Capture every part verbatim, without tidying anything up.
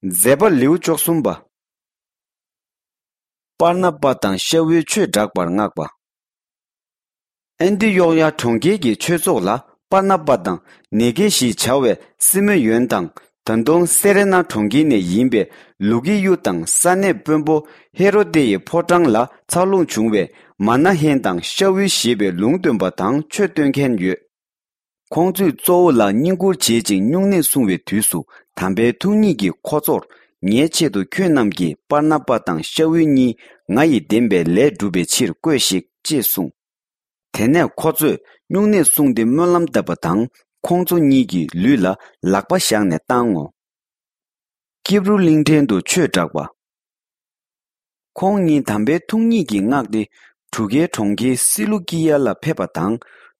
མཛད་པ་ལེའུ་བཅུ་གསུམ་པ། པར་ན་པ་དང་ཤ་བུའི་ཆོས་བསྒྲགས་པར་མངགས་པ། ཨན་ཏི་ཡོག་ཡ་གྲོང་ཁྱེར་གྱི་ཆོས་ཚོགས་ལ་པར་ན་པ་དང་ནེ་གེ་ཞེས་བྱ་བའི་སི་མེ་ཡོན་དང་། ད་དུང་སེ་རེ་ན་གྲོང་ཁྱེར་ནས་ཡིན་པའི་ལུ་ཀི་ཡུ་དང་ས་གནས་དཔོན་པོ་ཧེ་རོ་དེ་ཡི་ཕོ་བྲང་ལ་འཚར་ལོངས་བྱུང་བའི་མ་ན་ཧེན་དང་ཤ་བུའི་ཞེས་པའི་ལུང་སྟོན་པ་དང་ཆོས་སྟོན་མཁན་ཡོད། ཁོང་ཚོས་གཙོ་བོ་ལ་བསྙེན་བཀུར་བྱེད་ཅིང་སྨྱུང་གནས་སྲུང་བའི་དུས་སུ་དམ་པའི་ཐུགས་ཉིད་ཀྱིས་ཁོ་ཚོར། ངའི་ཆེད་དུ་ཁྱོད་རྣམས་ཀྱིས་པར་ན་པ་དང་ཤ་བུ་གཉིས་ང་ཡི་བདེན་པའི་ལས་བསྒྲུབ་པའི་ཕྱིར་བསྐོས་ཤིག་ཅེས་གསུངས། དེ་ནས་ཁོ་ཚོས་སྨྱུང་གནས་བསྲུངས་ཏེ་སྨོན་ལམ་བཏབ་པ་དང་ཁོང་ཚོ་གཉིས་ཀྱི་ལུས་ལ་ལག་པ་བཞག་ནས་བཏང་ངོ་། ཀིབ་རུ་གླིང་ཕྲན་དུ་ཆོས་བསྒྲགས་པ། ཁོང་གཉིས་དམ་པའི་ཐུགས་ཉིད་ཀྱིས་མངགས་ཏེ་གྲུ་ཁའི་གྲོང་ཁྱེར་སི་ལུ་ཀི་ཡ་ལ་ཕེབས་པ་དང་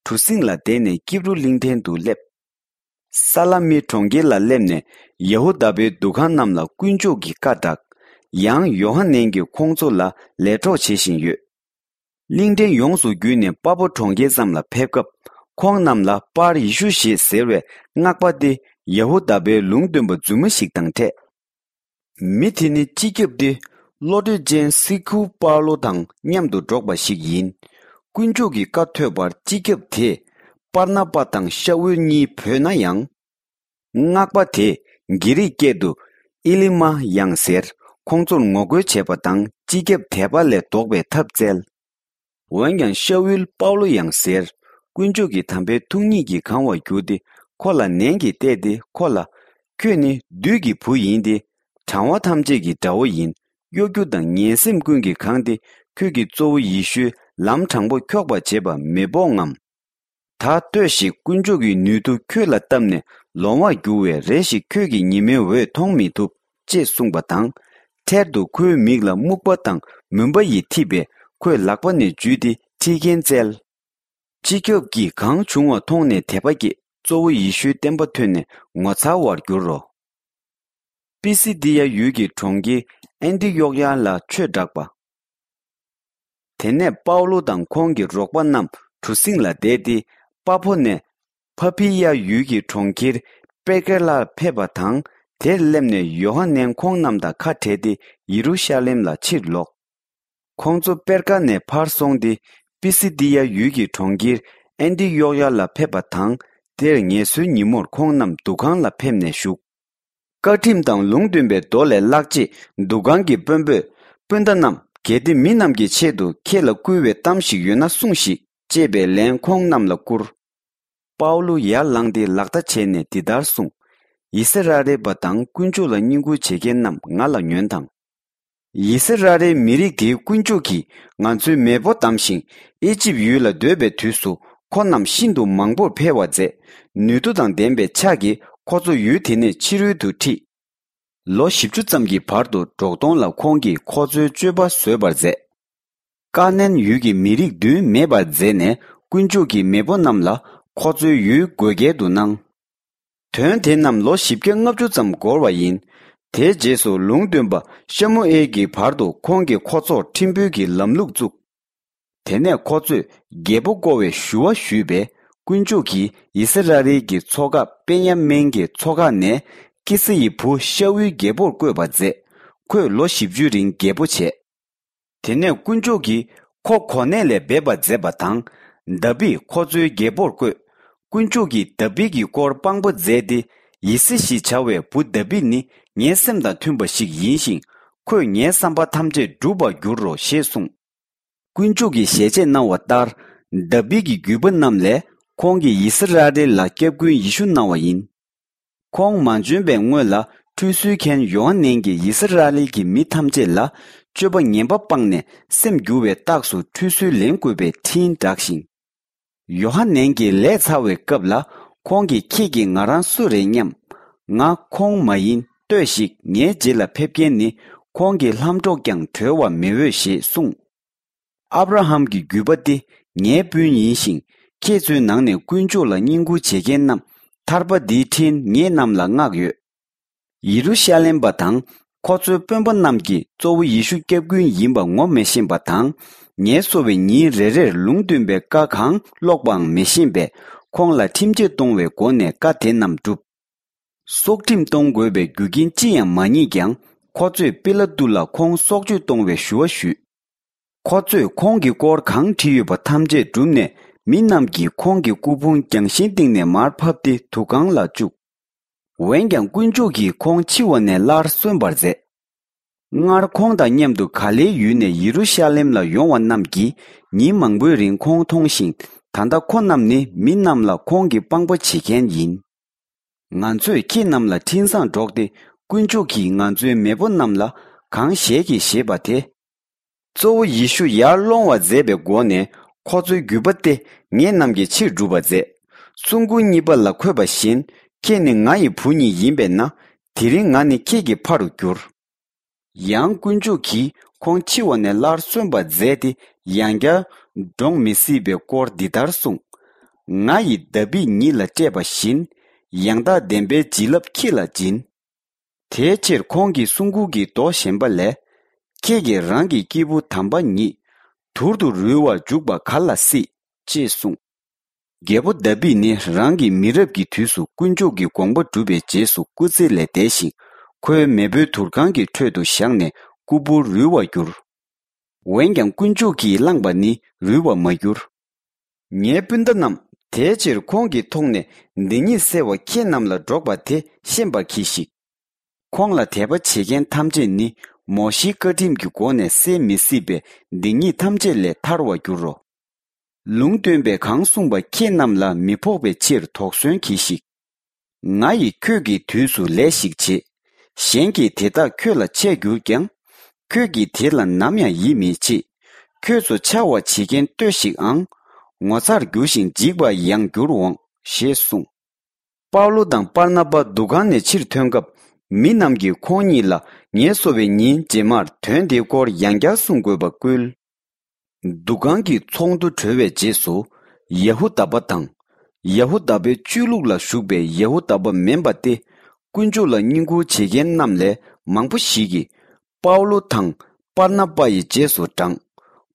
གྲུ་གཟིངས་ལ་བསྡད་ནས་ཀིབ་རུ་གླིང་ཕྲན་དུ་སླེབས། ས་ལ་མི་གྲོང་ཁྱེར་ལ་སླེབས་ནས་ཡ་ཧུ་དཱ་པའི་འདུ་ཁང་རྣམས་ལ་དཀོན་མཆོག་གི་བཀའ་བསྒྲགས། ཡང་ཡོ་ཧ་ནན་གྱིས་ཁོང་ཚོ་ལ་ལས་གྲོགས་བྱེད་བཞིན་ཡོད། གླིང་ཕྲན་ཡོངས་སུ་བརྒྱུད་ནས་པ་ཕོ་གྲོང་ཁྱེར་ཙམ་ལ་ཕེབས་སྐབས་ཁོང་རྣམས་ལ་པར་ཡེ་ཤུ་ཞེས་ཟེར་བའི་སྔགས་པ་སྟེ་ཡ་ཧུ་དཱ་པའི་ལུང་སྟོན་པ་རྫུན་མ་ཞིག་དང་འཕྲད། མི་དེ་ནི་སྤྱི་ཁྱབ་སྟེ་བློ་གྲོས་ཅན་སི་ཁུ་པཱ་ལོ་དང་མཉམ་དུ་འགྲོགས་པ་ཞིག་ཡིན། དཀོན་མཆོག་གི་བཀའ་ཐོས་པར་སྤྱི་ཁྱབ་དེས་པར་ན་པ་དང་ཤ་ཨུལ་གཉིས་བོས་ན་ཡང་། སྔགས་པ་དེས་གྷི་རིག་སྐད་དུ་ཨི་ལི་མ་ཡང་ཟེར་ཁོང་ཚོར་ངོ་རྒོལ་བྱས་པ་དང་སྤྱི་ཁྱབ་དད་པ་ལས་ལྡོག་པའི་ཐབས་བཙལ། འོན་ཀྱང་ཤ་ཨུལ་པའུ་ལོ་ཡང་ཟེར་དཀོན་མཆོག་གི་དམ་པའི་ཐུགས་ཉིད་ཀྱིས་གང་བར་གྱུར་ཏེ་ཁོ་ལ་ནན་གྱིས་བལྟས་ཏེ་ཁོ་ལ། ཁྱོད་ནི་བདུད་ཀྱི་བུ་ཡིན་ཏེ། དྲང་བ་ཐམས་ཅད་ཀྱི་དགྲ་བོ་ཡིན། གཡོ་སྒྱུ་དང་ངན་སེམས་ཀུན་གྱིས་གང་སྟེ་ཁྱོད་ཀྱི་གཙོ་བོ་ཡེ་ཤུའི་ལམ་དྲང་པོ་འཁྱོག་པར་བྱེད་པ་མི་དཔོག་ངམ། ད་ལྟོས་ཤིག་དཀོན་མཆོག་གི་ནུས་མཐུ་ཁྱོད་ལ་བཏབ་ནས་ལོང་བར་འགྱུར་བས་རེ་ཞིག་ཁྱོད་ཀྱི་ཉི་མའི་འོད་མཐོང་མི་ཐུབ་ཅེས་གསུངས་པ་དང་། འཕྲལ་དུ་ཁོའི་མིག་ལ་སྨུག་པ་དང་མུན་པ་ཡིས་འཐིབས་པས་ཁོས་ལག་པ་ནས་འཇུས་ཏེ་ཁྲིད་མཁན་བཙལ། སྤྱི་ཁྱབ་ཀྱིས་གང་བྱུང་བ་མཐོང་ནས་དད་པ་སྐྱེས་གཙོ་བོ་ཡེ་ཤུའི་བསྟན་པ་ཐོས་ནས་ངོ་མཚར་བར་གྱུར་རོ། པི་སི་དི་ཡ་ཡུལ་གྱི་གྲོང་ཁྱེར་ཨན་ཏི་ཡོག་ཡ་ལ་ཆོས་བསྒྲགས་པ། དེ་ནས་པའུ་ལོ་དང་ཁོང་གི་རོགས་པ་རྣམས་གྲུ་གཟིངས་ལ་བསྡད་དེ་པ་ཕོ་ནས་ཕ་ཕི་ཡ་ཡུལ་གྱི་གྲོང་ཁྱེར་པེར་ཀེ་ལར་ཕེབས་པ་དང་དེར་སླེབས་ནས་ཡོ་ཧ་ནན་ཁོང་རྣམས་དང་ཁ་བྲལ་ཏེ་ཡེ་རུ་ཤ་ལེམ་ལ་ཕྱིར་ལོག་ཁོང་ཚོ་པེར་ཀ་ནས་ཕར་སོང་སྟེ་པི་སི་དི་ཡ་ཡུལ་གྱི་གྲོང་ཁྱེར་ཨན་ཏི་ཡོག་ཡ་ལ་ཕེབས་པ་དང་དེར་ངལ་གསོའི་ཉིན་མོར་ཁོང་རྣམས་འདུ་ཁང་ལ་ཕེབས་ནས་བཞུགས། བཀའ་ཁྲིམས་དང་ལུང་སྟོན་པའི་མདོ་ལས་བཀླགས་རྗེས་འདུ་ཁང་གི་དཔོན་པོས། སྤུན་ཟླ་རྣམས། གལ་ཏེ་མི་རྣམས་ཀྱི་ཆེད་དུ་ཁྱེད་ལ་བསྐུལ་བའི་གཏམ་ཞིག་ཡོད་ན་གསུངས་ཤིག་ཅེས་པའི་ལན་ཁོང་རྣམས་ལ་བསྐུར། པའུ་ལུ་ཡར་ལངས་ཏེ་ལག་བརྡ་བྱས་ནས་འདི་ལྟར་གསུངས། ཡི་སི་ར་ཨེལ་པ་དང་དཀོན་མཆོག་ལ་བསྙེན་བཀུར་བྱེད་མཁན་རྣམས་ང་ལ་ཉོན་དང་། ཡི་སི་ར་ཨེལ་མི་རིགས་དེའི་དཀོན་མཆོག་གིས་ང་ཚོའི་མེས་པོ་བདམས་ཤིང་ཨི་ཇིབ་ཡུལ་ལ་སྡོད་པའི་དུས་སུ་ཁོ་རྣམས་ཤིན་ཏུ་མང་པོར་འཕེལ་བར་མཛད། ནུས་མཐུ་དང་ལྡན་པའི་ཕྱག་གིས་ཁོ་ཚོ་ཡུལ་དེ་ནས་ཕྱི་རོལ་དུ་ཁྲིད། ལོ་བཞི་བཅུ་ཙམ་གྱི་བར་དུ་འབྲོག་སྟོང་ལ་ཁོང་གིས་ཁོ་ཚོའི་སྤྱོད་པ་བཟོད་པར་མཛད། ཀ་ནན་ཡུལ་གྱི་མི་རིགས་བདུན་མེད་པར་མཛད་ནས་དཀོན་མཆོག་གིས་མེས་པོ་རྣམས་ལ་ཁོ་ཚོའི་ཡུལ་བགོ་སྐལ་དུ་གནང་། དོན་དེ་རྣམས་ལོ་བཞི་བརྒྱ་ལྔ་བཅུ་ཙམ་འགོར་བ་ཡིན། དེའི་རྗེས་སུ་ལུང་སྟོན་པ་ཤ་མུ་ཨེལ་གྱི་བར་དུ་ཁོང་གིས་ཁོ་ཚོར་ཁྲིམས་དཔོན་གྱི་ལམ་ལུགས་བཙུགས། དེ་ནས་ཁོ་ཚོས་རྒྱལ་པོ་བསྐོ་བའི་ཞུ་བ་ཞུས་པས་དཀོན་མཆོག་གིས་ཡི་སི་ར་ཨེལ་གྱི་ཚོ་ཁག་པེན་ཡ་མེན་གྱི་ཚོ་ཁག་ནས་ཀི་སི་ཡི་བུ་ཤ་ཨུལ་རྒྱལ་པོར་བསྐོས་པ་མཛད། ཁོས་ལོ་བཞི་བཅུའི་རིང་རྒྱལ་པོ་བྱས། དེ་ནས་དཀོན་མཆོག་གིས་ཁོ་གོ་གནས་ལས་འབེབས་པ་མཛད་པ་དང་། དཱ་བིད་ཁོ་ཚོའི་རྒྱལ་པོར་བསྐོས། དཀོན་མཆོག་གིས་དཱ་བིད་ཀྱི་སྐོར་དཔང་པོ་མཛད་དེ། ཡི་སི་ཞེས་བྱ་བའི་བུ་དཱ་བིད་ནི་ངའི་སེམས་དང་མཐུན་པ་ཞིག་ཡིན་ཞིང་། ཁོས་ངའི་བསམ་པ་ཐམས་ཅད་འགྲུབ་པར་འགྱུར་རོ་ཞེས་གསུངས། དཀོན་མཆོག་གིས་ཞལ་ཆད་གནང་བ་ལྟར། དཱ་བིད་ཀྱི་རྒྱུད་པ་རྣམས་ལས་ཁོང་གིས་ཡི་སི་ར་ཨེལ་ལ་སྐྱབས་མགོན་ཡེ་ཤུ་གནང་བ་ཡིན། ཁོང་མ་འབྱོན་པའི་སྔོན་ལ་ཁྲུས་གསོལ་མཁན་ཡོ་ཧ་ནན་གྱིས་ཡི་སི་ར་ཨེལ་གྱི་མི་ཐམས་ཅད་ལ་སྤྱོད་པ་ངན་པ་སྤངས་ནས་སེམས་འགྱུར་བའི་རྟགས་སུ་ཁྲུས་གསོལ་ལེན་དགོས་པའི་འཕྲིན་བསྒྲགས་ཤིང་། ཡོ་ཧ་ནན་གྱིས་ལས་ཚར་བའི་སྐབས་ལ་ཁོང་གིས་ཁྱེད་ཀྱིས་ང་རང་སུ་རེད་སྙམ། ང་ཁོང་མ་ཡིན། ལྟོས་ཤིག་ངའི་རྗེས་ལ་ཕེབས་མཁན་ནི་ཁོང་གི་ལྷམ་སྒྲོག་ཀྱང་གྲོལ་བར་མི་འོས་ཞེས་གསུངས། ཨབ་ར་ཧམ་གྱི་རྒྱུད་པ་འདི་ངའི་སྤུན་ཡིན་ཞིང་། ཁྱེད་ཚོའི་ནང་ནས་དཀོན་མཆོག་ལ་བསྙེན་བཀུར་བྱེད་མཁན་རྣམས་ཐར་པ་འདིའི་འཕྲིན་ངེད་རྣམས་ལ་མངགས་ཡོད། ཡེ་རུ་ཤ་ལེམ་པ་དང་ཁོ་ཚོའི་དཔོན་པོ་རྣམས་ཀྱིས་གཙོ་བོ་ཡེ་ཤུ་སྐྱབས་མགོན་ཡིན་པ་ངོ་མི་ཤེས་པ་དང་། ངལ་གསོ་བའི་ཉིན་རེ་རེར་ལུང་སྟོན་པའི་བཀའ་གང་ཀློག་པའང་མི་ཤེས་པས་ཁོང་ལ་ཁྲིམས་ཆད་གཏོང་བའི་སྒོ་ནས་བཀའ་དེ་རྣམས་བསྒྲུབས། སྲོག་ཁྲིམས་གཏོང་དགོས་པའི་རྒྱུ་རྐྱེན་ཅི་ཡང་མ་རྙེད་ཀྱང་། ཁོ་ཚོས་པི་ལ་ཏུ་ལ་ཁོང་སྲོག་གཅོད་གཏོང་བའི་ཞུ་བ་ཞུས། ཁོ་ཚོས་ཁོང་གི་སྐོར་གང་བྲིས་ཡོད་པ་ཐམས་ཅད་བསྒྲུབས་ནས། མི་རྣམས་ཀྱིས་ཁོང་གི་སྐུ་ཕུང་རྒྱང་ཤིང་སྟེང་ནས་མར་ཕབ་སྟེ་དུར་ཁང་ལ་བཅུག་འོན་ཀྱང་དཀོན་མཆོག་གིས་ཁོང་འཆི་བ་ནས་སླར་གསོན་པར་མཛད། སྔར་ཁོང་དང་མཉམ་དུ་ག་ལེའི་ཡུལ་ནས་ཡེ་རུ་ཤ་ལེམ་ལ་ཡོང་བ་རྣམས་ཀྱིས་ཉིན་མང་པོའི་རིང་ཁོང་མཐོང་ཞིང་། ད་ལྟ་ཁོ་རྣམས་ནི་མི་རྣམས་ལ་ཁོང་གི་དཔང་པོ་བྱེད་མཁན་ཡིན། ང་ཚོས་ཁྱེད་རྣམས་ལ་འཕྲིན་བཟང་སྒྲོག་སྟེ། དཀོན་མཆོག་གིས་ང་ཚོའི་མེས་པོ་རྣམས་ལ་གང་བཞེད་ཀྱིས་བཞེད་པ་དེ། གཙོ་བོ་ཡེ་ཤུ་ཡར་སློང་བ་མཛད་པའི་སྒོ་ནས་ཁོ་ཚོའི་རྒྱུད་པ་སྟེ་ངེད་རྣམས་ཀྱི་ཕྱིར་སྒྲུབ་པར་མཛད། གསུང་མགུར་གཉིས་པ་ལ་འཁོད་པ་བཞིན། ཁྱེད་ནི་ང་ཡི་བུ་ཉིད་ཡིན་པས་ན། དེ་རིང་ང་ནི་ཁྱེད་ཀྱི་ཕ་རུ་འགྱུར། ཡང་དཀོན་མཆོག་གིས་ཁོང་འཆི་བ་ནས་སླར་གསོན་པར་མཛད་དེ། ཡང་བསྐྱར་འགྲོངས་མི་སྲིད་པའི་སྐོར་འདི་ལྟར་གསུངས། ང་ཡིས་དཱ་བིད་ཉིད་ལ་སྤྲད་པ་བཞིན། ཡང་དག་བདེན་པའི་བྱིན་རླབས་ཁྱེད་ལ་སྦྱིན། དེའི་ཕྱིར་ཁོང་གིས་གསུང་མགུར་གྱི་མདོ་གཞན་པ་ལས། ཁྱེད་ཀྱིས་རང་གི་སྐྱེས་བུ་དམ་པ་ཉིད། དུར་དུ་རུལ་བར་འཇུག་པ་ག་ལ་སྲིད། ཅེས་གསུངས། རྒྱལ་པོ་དཱ་བིད་ནི་རང་གི་མི་རབས་ཀྱི་དུས་སུ་དཀོན་མཆོག་གི་དགོངས་པ་བསྒྲུབས་པའི་རྗེས་སུ་སྐུ་ཚེ་ལས་འདས་ཤིང་། ཁོའི་མེས་པོའི་དུར་ཁང་གི་ཁྲོད་དུ་བཞག་ནས་སྐུ་འབུར་རུལ་བར་གྱུར། འོན་ཀྱང་དཀོན་མཆོག་གིས་བླངས་པ་ནི་རུལ་བར་མ་གྱུར། ངའི་སྤུན་ཟླ་རྣམས། དེའི་ཕྱིར་ཁོང་གི་ཐོག་ནས་སྡིག་ཉེས་སེལ་བ་ཁྱེད་རྣམས་ལ་སྒྲོག་པ་དེ་ཤེས་པར་གྱིས་ཤིག་ཁོང་ལ་དད་པ་བྱེད་མཁན་ཐམས་ཅད་ནི། མོ་ཤེའི་བཀའ་ཁྲིམས་ཀྱི་སྒོ་ནས་སེལ་མི་སྲིད་པའི་སྡིག་ཉེས་ཐམས་ཅད་ལས་ཐར་བར་འགྱུར་རོ། ལུང་སྟོན་པས་གང་གསུངས་པ་ཁྱེད་རྣམས་ལ་མི་ཕོག་པའི་ཕྱིར་དོགས་ཟོན་གྱིས་ཤིག་ང་ཡིས་ཁྱོད་ཀྱི་དུས་སུ་ལས་ཤིག་བྱེད། གཞན་གྱིས་དེ་དག་ཁྱོད་ལ་འཆད་འགྱུར་ཀྱང་། ཁྱོད་ཀྱིས་དེ་ལ་ནམ་ཡང་ཡིད་མི་ཆེས། ཁྱོད་ཚོ་འཕྱ་བ་བྱེད་མཁན་ལྟོས་ཤིག་ཨང་། ངོ་མཚར་འགྱུར་ཞིང་འཇིགས་པར་ཡང་འགྱུར་འོང་། ཞེས་གསུངས། པའུ་ལོ་དང་པར་ན་པ་འདུ་ཁང་ནས་ཕྱིར་ཐོན་སྐབས། མི་རྣམས་ཀྱིས་ཁོང་གཉིས་ལ་ངལ་གསོ་བའི་ཉིན་རྗེས་མར་དོན་དེའི་སྐོར་ཡང་བསྐྱར་གསུང་དགོས་པ་བསྐུལ། འདུ་ཁང་གི་ཚོགས་འདུ་གྲོལ་བའི་རྗེས་སུ། ཡ་ཧུ་དཱ་པ་དང་། ཡ་ཧུ་དཱ་པའི་ཆོས་ལུགས་ལ་ཞུགས་པའི་ཡ་ཧུ་དཱ་པ་མིན་པ་སྟེ། དཀོན་མཆོག་ལ་བསྙེན་བཀུར་བྱེད་མཁན་རྣམས་ལས་མང་པོ་ཞིག་གིས། པའུ་ལོ་དང་པར་ན་པ་ཡི་རྗེས་སུ་འབྲངས།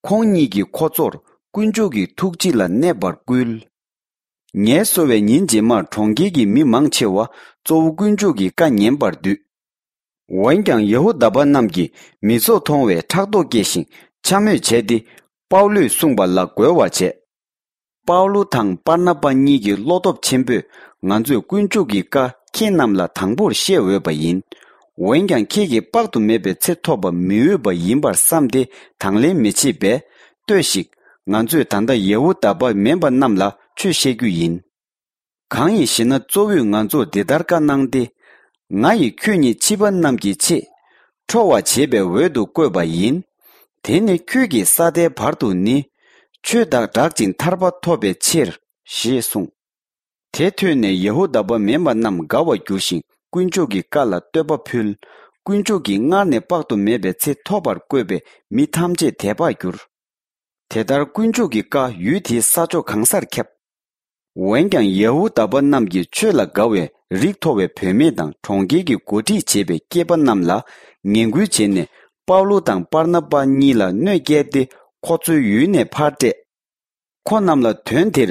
ཁོང་གཉིས་ཀྱིས་ཁོ་ཚོར་དཀོན་མཆོག་གི་ཐུགས་རྗེ་ལ་གནས་པར་བསྐུལ། ངལ་གསོ་བའི་ཉིན་རྗེས་མར་གྲོང་ཁྱེར་གྱི་མི་མང་ཆེ་བ་གཙོ་བོ་དཀོན་མཆོག་གི་བཀའ་ཉན་པར་འདུས། འོན་ཀྱང་ཡ་ཧུ་དཱ་པ་རྣམས་ཀྱིས་མི་ཚོགས་མཐོང་བས་ཕྲག་དོག་སྐྱེས་ཤིང་འཕྱ་སྨོད་བྱས་ཏེ། པའུ་ལོས་གསུངས་པ་ལ་རྒོལ་བར་བྱས། པའུ་ལོ་དང་པར་ན་པ་གཉིས་ཀྱིས་བློ་སྟོབས་ཆེན་པོས། ང་ཚོས་དཀོན་མཆོག་གི་བཀའ་ཁྱེད་རྣམས་ལ་དང་པོར་བཤད་འོས་པ་ཡིན། འོན་ཀྱང་ཁྱེད་ཀྱིས་དཔག་ཏུ་མེད་པའི་ཚེ་ཐོབ་པ་མི་འོས་པ་ཡིན་པར་བསམས་ཏེ་དང་ལེན་མི་བྱེད་པས། ལྟོས་ཤིག་ང་ཚོས་ད་ལྟ་ཡ་ཧུ་དཱ་པ་མིན་པ་རྣམས་ལ་ཆོས་བཤད་རྒྱུ་ཡིན། གང་ཡིན་ཞེ་ན། གཙོ་བོས་ང་ཚོར་འདི་ལྟར་བཀའ་གནང་སྟེ། ང་ཡིས་ཁྱོད་ཉིད་ཕྱི་པ་རྣམས་ཀྱི་ཆེད། ཁྲོ་བ་བྱེད་པའི་འོད་དུ་བཀོད་པ་ཡིན། དེ་ནི་ཁྱོད་ཀྱིས་ས་མཐའི་བར་དུ་ནི། ཆོས་དང་སྦྲགས་ཅིང་ཐར་པ་ཐོབ་པའི་ཕྱིར། ཞེས་གསུངས། དེ་ཐོས་ནས་ཡ་ཧུ་དཱ་པ་མིན་པ་རྣམས་དགའ་བར་གྱུར་ཞིང་། དཀོན་མཆོག་གི་བཀའ་ལ་བསྟོད་པ་ཕུལ། དཀོན་མཆོག་གིས་སྔར་ནས་དཔག་ཏུ་མེད་པའི་ཚེ་ཐོབ་པར་བསྐོས་པའི་མི་ཐམས་ཅད་དད་པར་གྱུར། དེ་ལྟར་དཀོན་མཆོག་གི་བཀའ་ཡུལ་དེའི་ས་ཕྱོགས་གང་སར་ཁྱབ། འོན་ཀྱང་ཡ་ཧུ་དཱ་པ་རྣམས་ཀྱིས་ཆོས་ལ་དགའ་བའི་རིགས་མཐོ་བའི་བུད་མེད་དང་གྲོང་ཁྱེར་གྱི་འགོ་ཁྲིད་བྱེད་པའི་སྐྱེས་པ་རྣམས་ལ་ངན་སྐུལ་བྱས་ནས། པའུ་ལོ་དང་པར་ན་པ་གཉིས་ལ་གནོད་བསྐྱལ་ཏེ། ཁོ་ཚོའི་ཡུལ་ནས་ཕར་བསྐྲད། ཁོ་རྣམས་ལ་དོན་དེར་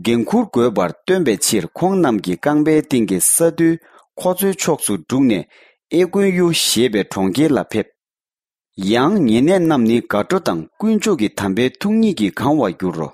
འགན་འཁུར་དགོས་པར་སྟོན་པའི་ཕྱིར། ཁོང་རྣམས་ཀྱིས་རྐང་པའི་སྟེང་གི་ས་རྡུལ་ཁོ་ཚོའི་ཕྱོགས་སུ་སྒྲུག་ནས། ཨེ་ཀོན་ཡུ་ཞེས་པའི་གྲོང་ཁྱེར་ལ་ཕེབས། ཡང་ཉེ་གནས་རྣམས་ནི་དགའ་སྤྲོ་དང་དཀོན་མཆོག་གི་དམ་པའི་ཐུགས་ཉིད་ཀྱིས་གང་བར་འགྱུར་རོ།